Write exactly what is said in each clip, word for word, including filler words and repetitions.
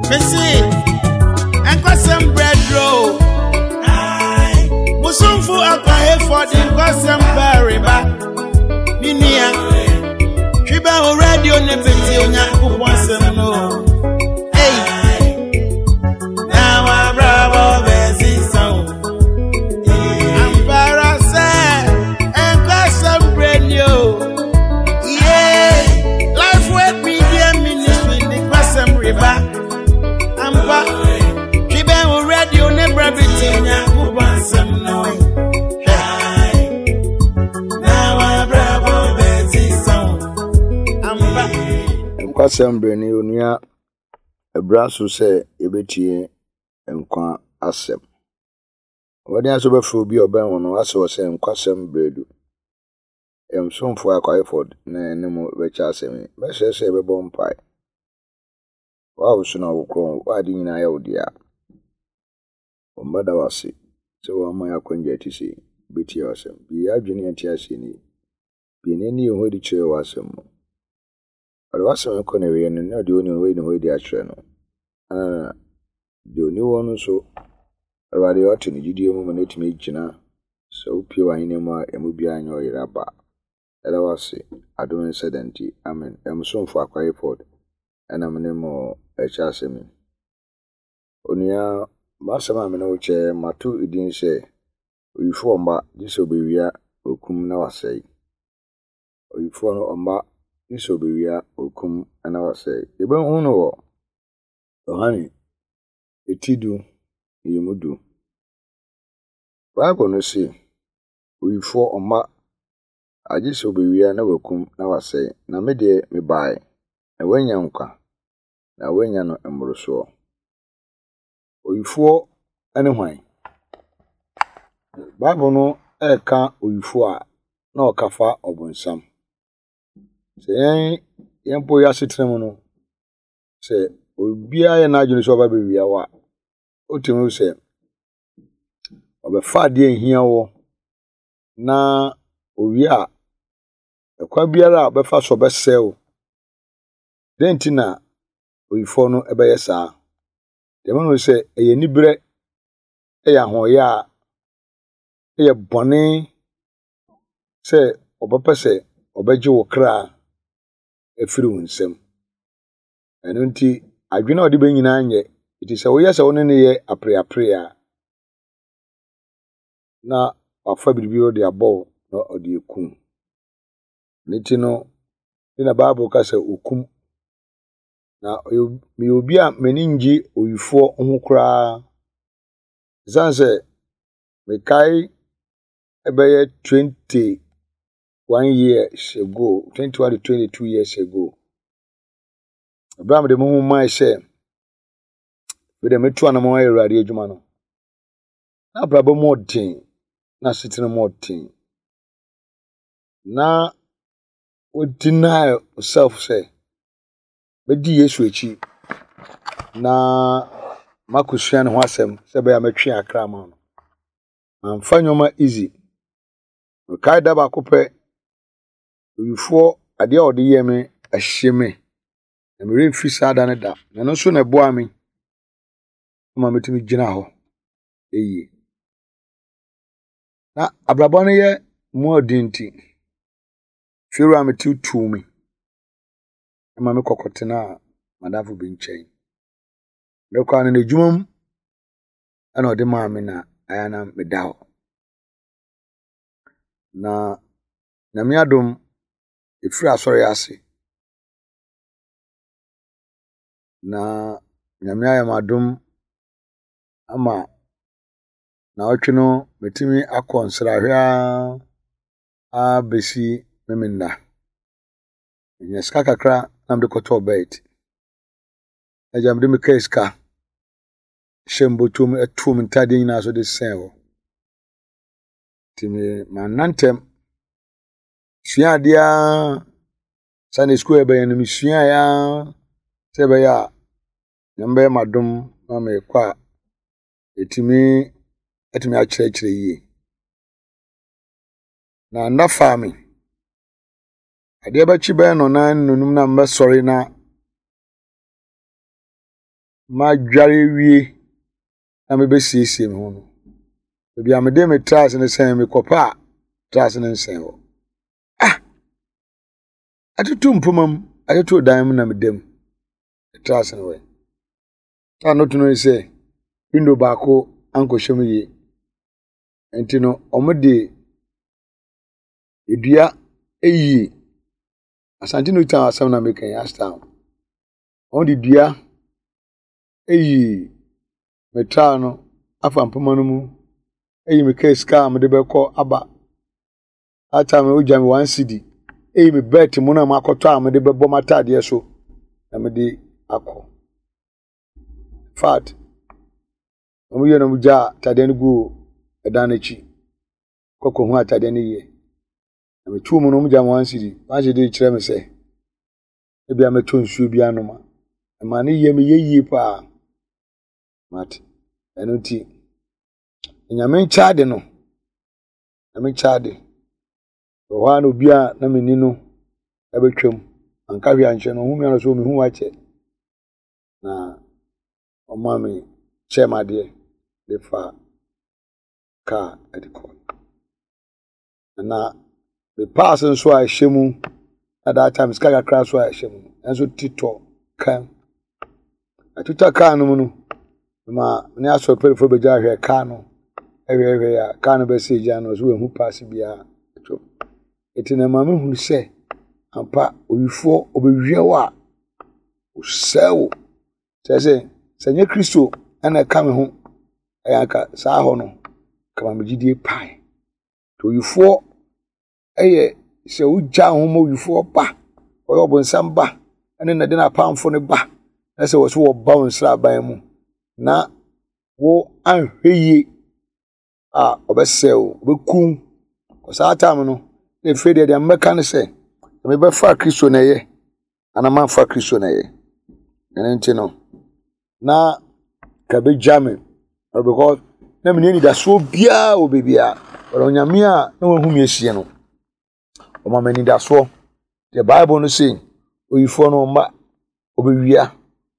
Mese, nkwasɛm brɛduro. Musumfo akwahefo de nkwasɛm bɛreba. Me nua, twi bɛ wo radio ne bɛti Onyankopɔn asɛm no. Ei, na wabrabɔ bɛsesa wo. Ampara sɛ nkwasɛm brɛ ni o. Yeah, Life Word Media Ministry de nkwasɛm reba. Ampa, twi bɛ wo radio ne brɛ bɛti Onyankopɔn asɛm no. Hwɛ, na wabrabɔ bɛsesa wo. Ampa. Nkwasɛm berɛ ni, onua. Ɛbra so sɛ yɛbɛtie nkwa asɛm. Wɔde aso bɛfrɛ obi a ɔbɛn wo no asɛ wɔ sɛ nkwasɛm berɛ du. Yɛn somfo Akwayeford na ɛne mo bɛkyɛ asɛm yi. Mɛsrɛ sɛ yɛbɛbɔ mpae. Wo a wo so na wo korɔn, wo ade nyinaa yɛ wo dea. Wɔmmɛda wo ase sɛ wɔama yɛ akwangya a ɛte sei. Bɛtie w'asɛm. Bue yɛn adwene ne yɛn nteaseɛ nie. Bue yɛn ani yɛn ho adi kyerɛ w'asɛm mu. Ɔde w'asɛm kɔ n'awieeɛ no, na deɛ ɔnni no, wayi ne ho adi akyerɛ no. Na deɛ ɔni hɔ no nso, Awurade ɔte ne gyidie mu ma no atumi agyina sɛ wopue w'ahenni mu a emu biara nyɛ ɔyera ba. Ɛda wo ase. Adom nsa da nti. Amen. Ɛm somfo Akwayeford ɛna me ne mo ɛkyɛ asɛm yi. Onua, m'asɛm a me ne wo kyɛ, mato edin sɛ owifoɔ mma gye sɛ obewia, okum na wasɛe. Owifoɔ no ɔmma gye sɛ obewia, okum na wasɛe. Yɛbɛhu no wɔ Yohane eti du mmienu du. Bible no se, owifoɔ ɔmma agye sɛ obewia na wakum na wasɛe. Na me deɛ mebae na woanya nkwa na woanya no mmorosoɔ. Owifoɔ ne hwan? Bible no ɛreka owifoɔ a na ɔka fa ɔbonsam. Sɛ yɛn yɛn mpo yɛ asetena mu no, sɛ obiara yɛ n'adwene sɛ ɔba bɛwia wo a, wotumi hu sɛ ɔbɛfa adeɛ a ehia wɔ na owie a, ɛkwan biara a ɔbɛfa so ɔbɛsɛe wo. Dɛn nti na owifoɔ no ɛbɛyɛ saa? Deɛ ɛma no sɛ ɛyɛ aniberɛ, ɛyɛ ahoɔyɛ a, ɛyɛ bɔne sɛ ɔbɛpɛ sɛ ɔbɛgye wo kra afiri wo nsam. Ɛno nti, adwene a ɔde bɛ nyinaa nyɛ. Nti sɛ woyɛ sɛ wo ne no yɛ apereapere a, na wafa biribi de abɔ wo na ɔde ekum. Ne ti no, ne na Bible ka sɛ okum. Na meyɛ obi a m'ani ngye owifoɔ ho koraa. Ɛsiane sɛ mekae ɛbɛyɛ twenty one years ago, twenty one to twenty two years ago. Ɛberɛ a mede me ho mae sɛ mede meto anamɔ ayɛ Awurade adwuma no, na abrabɔ mu ɔden, na asetena mu ɔden. Na wo deny yourself sɛ mɛdi Yesu akyi na makɔsua ne ho asɛm sɛ ɛbɛyɛ a mɛtwe akra ama no. Mamfa nneɛma easy. Mekae da baako pɛ, owifoɔ adeɛ a ɔde yɛɛ me ɛhye me. Na meremfi saa da no da. Na ɛno nso na ɛboaa me ma metumi gyina hɔ yie. Na abrabɔ no yɛ mu ɔden nti, fiewura a mete tuu me ma me kɔkɔtenaa madamfo bi nkyɛn. Mekɔɔ no n'adwuma mu ɛna ɔde maa me na ayɛ na meda hɔ. Na Nyame adom, ɛfiri asɔre ase na Nyame ayɛ me adom ama naawɔtwe no metumi akɔ nsrahwɛ ara abɛsi Memenda. Menya sika kakra na mede kɔtɔɔ bet. Agya mede me kaa sika hyɛ me bɔtɔ mu ɛtoo me ntadeɛ nyinaa so de sɛn hɔ. Nti me manna ntɛm. Sua adeɛ ara Sunday school ɛbɛyɛ no mesuaeɛ ara sɛ ɛbɛyɛ a Nyame bɛyɛ m'adom na mekɔ a ɛtumi atumi akyerɛkyerɛ yie. Na nna faa me. Adeɛ bɛkye bɛyɛ nnɔnan nnɔnum na mbɛsɔre na Madware awie na mebɛsiesie me ho no, baabi a mede me traase no sɛn mekɔpɛ a traase no nsɛn hɔ. Ah! Atoto mpoma mu, atoto dan mu na meda mu. Traase no wɔ. A noto no sɛ window baako ankɔhyɛ mu yie. Nti no, wɔde dua ayi Asante New Town asɛm na meka yi, Ashtown. Wɔde dua ayi me traa no afa mpoma no mu, ayi me kaa sika a mede bɛkɔ aba. That time no wogya me one cedi. Eyi me belt mu na makɔtɔ a mede bɛbɔ m'ataadeɛ so na mede akɔ. Fact, wɔn yɛ na wɔn gyaa ataadeɛ no guu ɛdan no akyi. Kɔkɔ hu ataadeɛ no yie. Na metuu mu no wɔn gya me one cedi. One cedi kyerɛ me sɛ ebi a mɛtɔ nsuo bi anom a. Ɛma ne yɛ me yɛ yie paa. But ɛno nti, Nyame nkyɛ ade no. Nyame nkyɛ ade. Wɔ hɔ a na obi a na menni no ɛbɛtwam. Anka hwee ankyerɛ no, ɔhu me ano so mehu wakyɛ. Na ɔma me kyɛɛ me adeɛ de fa kaa de kɔ. Na me paase nso a ɛhyɛ mu na that time sika kakra nso a ɛhyɛ mu nso titɔ kaa mu. Atutɔ kaa no mu no, ma ne asɔre mpanyinfoɔ bɛgya ahwɛ kaa no ɛhwɛhwɛ a kaa no bɛsɛ gya no so wɔahu paase biara atwam. Nti na maame hunu sɛ ampa owifoɔ ɔbɛwia wo a ɔsɛe wo. Kyerɛ sɛ sɛ nyɛ Kristo ɛna ɛka me ho ɛyɛ anka saa hɔ no kama me gyidie pae. Nti owifoɔ ɛyɛ sɛ wogya wo ho ma owifoɔ ba ɔyɛ ɔbonsam ba ɛne na de n'apamfo no ba na sɛ wɔ so wɔba wo nsraban mu na wo anhwɛ yie a ɔbɛsɛe wo ɔbɛku wo. Saa time no na efie deɛ deɛ mbɛka ne sɛ mebɛfa Kristo na ɛyɛ anaa mamfa Kristo na ɛyɛ. Ɛno nti no na ka bɛgya me because na menni anidasoɔ biara wɔ baabiara. But Onyame a na wahu me asie no, ɔma me anidasoɔ. The Bible no say, oyifoɔ no ɔmma, ɔbɛwia,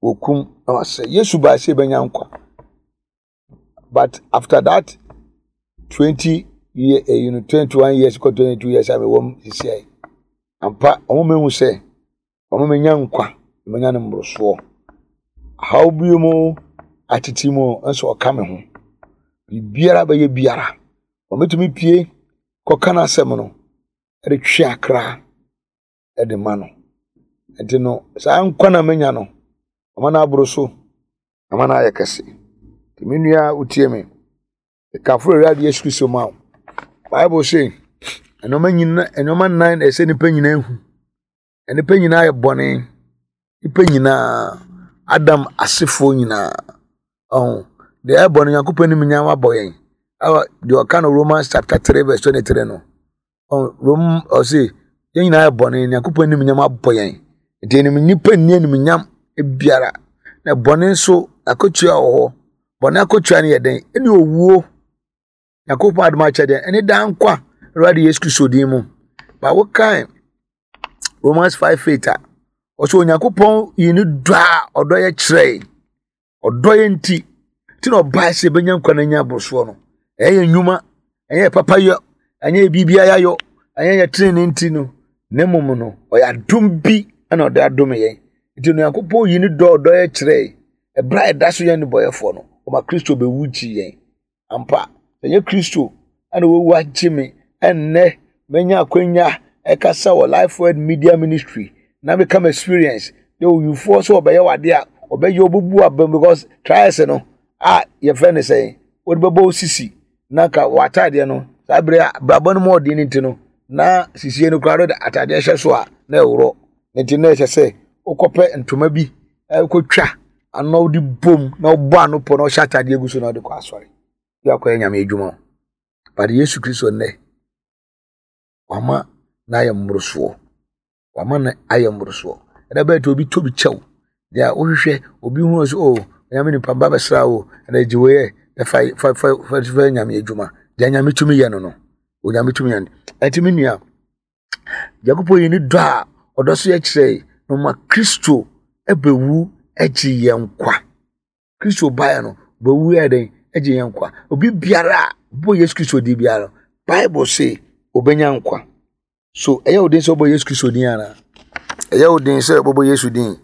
wɔkum na wasɛe. Yesu baa sɛ yɛbɛnya nkwa. But after that twenty year, eh, you know, twenty-one years, kɔ twenty-two years a mewɔ mu sisi yi, ampa ɔmo mehu sɛ ɔmo menya nkwa, menya no mmorosoɔ. Haw bi mu atete mu nso ɔka me ho. Biribiara bɛyɛ biara. Ɔmɛtumi pie kɔka n'asɛm no ɛde twe akra ɛde ma no. Nti no saa nkwa na menya no, ɔma no aboro so, ama no ayɛ kɛse. Nti me nua a wotie me, kamfo Awurade Yesu Kristo ma wo. Bible say, nneɛma nyina nneɛma nnan na ɛsɛ nipa nyinaa hu. Nipa nyinaa yɛ bɔne. Nipa nyinaa, Adam asefoɔ nyinaa. Ɔho deɛ ɛyɛ bɔne Nyankopɔn anim nyinaa wabɔ yɛn. Ɛwɔ deɛ ɔka no Romans chapter three verse twenty-three no. Ɔho Rom ɔse yɛn nyinaa yɛ bɔne Nyankopɔn anim nyam abɔ yɛn. Nti anim nipa nni animuonyam biara. Na bɔne nso akatua wɔ hɔ. Bɔne akatua no yɛ dɛn? Ɛne owuo. Nyankopɔn adom akyɛdeɛ ɛne daa nkwa Awurade Yesu Kristo din mu. Ba wokan Romans five eight a ɔsɛ Onyankopɔn yi ne dɔ a ɔdɔ yɛ kyerɛe. Ɔdɔ yɛ nti nti na ɔbaa sɛ yɛbɛnya nkwa na anya aborosoɔ no. Ɛyɛ yɛn nnwuma, ɛnyɛ yɛ papayɔ, ɛnyɛ yɛ biribiara yɛayɔ, ɛnyɛ yɛ tenenee nti no, na mmom no, ɔyɛ adom bi na ɔde adom yɛn. Nti Onyankopɔn yi ne dɔ a ɔdɔ yɛ kyerɛe. Ɛberɛ a ɛda so yɛ nnebɔyɛfoɔ no, ɔma Kristo bɛwu gyee yɛn. Ampa, ɛnyɛ Kristo ɛna wawu agye me ɛnnɛ manya akwanya ɛkasa wɔ Life Word Media Ministry na meka m experience na owifoɔ sɛ ɔbɛyɛ wade a ɔbɛyɛ ɔbɛbu abam because trials no a yɛfrɛ no sɛn wode bɛbɔ wo sisi na ka w'ataadeɛ no saa bere a brabɔ no mu ɔden no nti no na sisie no koraa no de ataadeɛ hyɛ so a na ɛworɔ nti na ɛhyɛ sɛ wokɔpɛ ntoma bi ɛkɔtwa ano wode bom na wobɔ ano pɔ na ɔhyɛ ataadeɛ gu so na wode kɔ asɔre bi akɔyɛ Nyame adwuma. But Yesu Kristo nnɛ wama na ayɛ mmorosoɔ, wama no ayɛ mmorosoɔ. Ɛna bɛyɛ te obi tɔ bi kyɛw deɛ wohwehwɛ obi hu sɛ oh Nyame nipa ba bɛsra wo ɛna gye wei ɛ na fa fa fa fa fa Nyame adwuma deɛ Nyame tumi yɛ no no Onyame tumi yɛ no. Ɛnti me nua, Nyankopɔn yi ne dɔ a ɔdɔ so yɛ kyerɛ na ɔma Kristo ɛbɛwu agye yɛn nkwa. Kristo baeɛ no bɛwu yɛ dɛn agye yɛn nkwa. Obi biara a bɔ Yesu Kristo din biara no, Bible se obɛnya nkwa. So ɛyɛ wo den sɛ wobɔ Yesu Kristo din anaa? Ɛyɛ wo den sɛ wobɛbɔ Yesu din?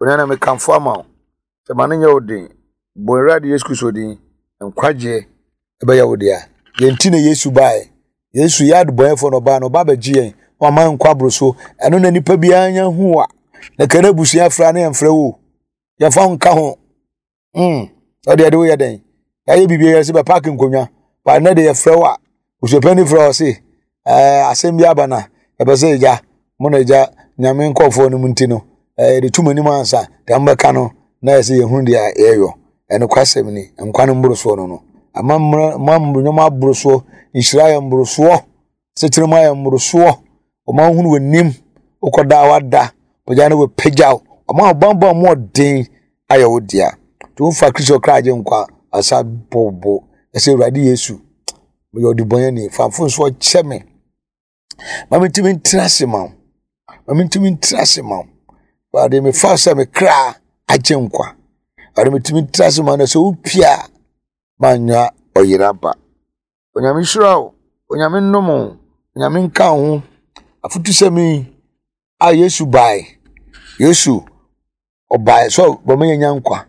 Onua na mekamfo ama wo sɛ ma no nyɛ wo den. Bɔ Awurade Yesu Kristo din, nkwagyeɛ ɛbɛyɛ wo dea. Yɛn ti na Yesu baeɛ. Yesu yɛ adebɔnyɛfoɔ na ɔbaa no, ɔba abɛgye yɛn na wama yɛn nkwa aboro so. Ɛno na nipa biara nya hu a na kɛnɛ abusua fra ne yɛmfrɛ wo. Yɛmfa wo nka ho. Mm. Ɔde ɛde woyɛ dɛn? Yɛayɛ biribi yɛ sɛ bɛpaake nkonnwa. Ba nnɛ de yɛfrɛ wo a, busuapɛni frɛ wo se, ɛɛ asɛm bi aba na ɛbɛ sɛ agya, mo na agya nyame nkɔɔfoɔ no mu nti no, ɛɛ yɛde tum anim ansa, deɛ mobɛka no na yɛ sɛ yɛhunu deɛ yɛyɔ. Ɛnokwasɛm ni, nkwa no mborosoɔ no no. Ama mmerɛ, ma nneɛma aborosoɔ, nhyira yɛ mborosoɔ, sekyere mu ayɛ mborosoɔ, ɔma wohunu w'anim, wokɔda a wada, pagya no wɔpagya wo, ɔma ɔbammɔ mu ɔden ayɛ wo dea. Nti wofa Kristo kra agye nkwa asa bobo ɛsɛ Awurade Yesu, meyɛ ɔdebɔnyɛni, fa mfomsoɔ kyɛ me. Ma mentumi ntena ase ma wo. Ma mentumi ntena ase ma wo. Awurade mefa sɛ me kra agye nkwa. Awurade metumi ntena ase ma no sɛ wopie a manya ɔyera ba. Onyame nhyira wo. Onyame nnom wo. Onyame nka wo ho. Afotusɛm yi a Yesu bae. Yesu ɔbae sɛ ɔbɛma yɛanya nkwa.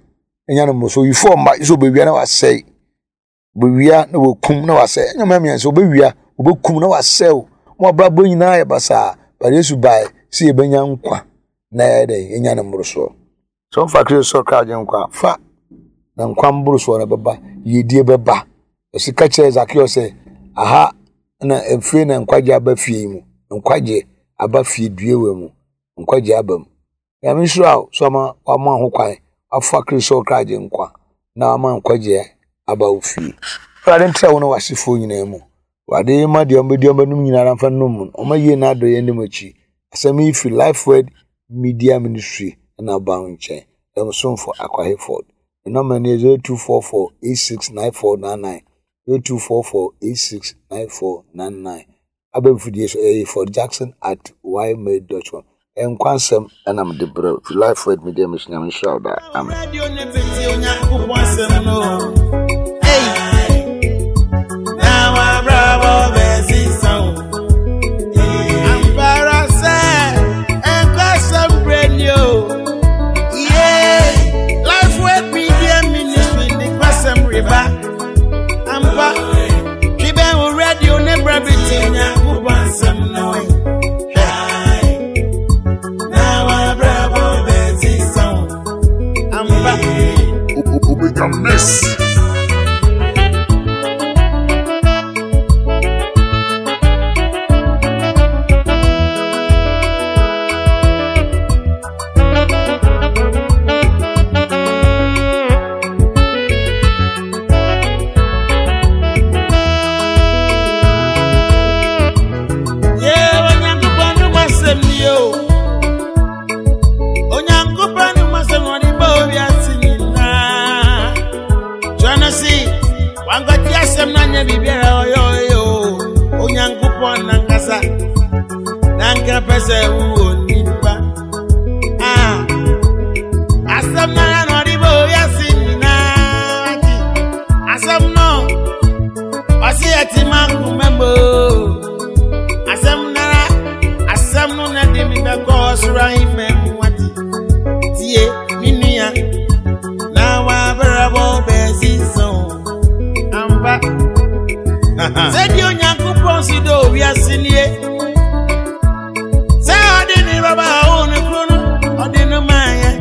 Nya no mmoroso. Oyifoɔ mma sɛ ɔbɛwia na wasɛe. Ɔbɛwia na wakum na wasɛe. Ɛnyɛ mmiɛnsa ɔbɛwia, ɔbɛkum na wasɛe wo. Mo abrabɔ nyinaa yɛ basaa. But Yesu bae sɛ yɛbɛnya nkwa na yɛayɛ dɛn yɛnya no mmorosoɔ. Sɛ wofa Kristo sɛ ɔkra agye nkwa fa na nkwa mborosoɔ no bɛba, yiedie bɛba. Ɔsi ka kyerɛ Zakeus sɛ aha na mfiri na nkwagye aba fie yi mu. Nkwagye aba fie due wɔ mu. Nkwagye aba mu. Nyame nhyira wo so ama wama ho kwan afa Kristo sɛ ɔkra agye nkwa na ama nkwagye aba wo fie. Awurade ntra wo ne w'asefoɔ nyinaa mu. Awurade ma deɛ ɔmbɛdi ɔmbɛnom nyinaa mfa nnom mu. Ɔma yie na adɔ yɛn anim akyi. Asɛm yi firi Life Word Media Ministry na aba wo nkyɛn. Ɛm somfo Akwa Hayford. The number is zero two four four eight six nine four nine nine zero two four four eight six nine four nine nine. Abɛnfidie so ɛyɛ Ford Jackson at ymail dot com. Nkwa nsɛm ɛna mede brɛ firi Life Word Media Ministry. Nyame nhyira wo daa. Amen. Radio ne bɛtie Onyankopɔn asɛm no. Ei! Na wabrabɔ bɛsesa wo. Ampa ara sɛ nkwasɛm berɛ ni o. Yeah. Life Word Media Ministry de nkwasɛm reba. Ampa, twe bɛn wo radio ne bra bɛtie Onyankopɔn asɛm no. Hwɛ. Na wabrabɔ bɛsesa wo. Ampa. Omega Miss. Yeah, Onyankopɔn no asɛm ni o. Onyankopɔn no asɛm na ɔde bɔɔ wiase nyinaa. Twerɛ no se, wankɔte asɛm no anyɛ biribiara a ɔyɛ ɔyɛ o. Onyankopɔn nankasa, nanka pɛ sɛ wowɔ nipa. Ah, asɛm no ara na ɔde bɔɔ wiase nyinaa. Nti, asɛm no, ɔse ɛte ma nkoma mu o. Asɛm nara, asɛm no na de mi bɛkɔ ɔsoro ahemman mu ate. Tie, me nua, na wabrabɔ bɛsesa o. Ampa. Sɛdeɛ Onyankopɔn si dɔ wiase nie. Sɛ ɔde ne baba a ɔwɔ ne kuro no, ɔde no maa yɛn.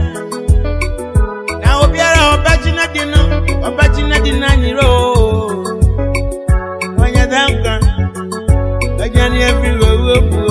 Na obiara a ɔbɛgye n'adi no, ɔbɛgye n'adi n'anyerɛ o. Ɔnyɛ dɛ nkwa. Aduane afiri owuo mu o.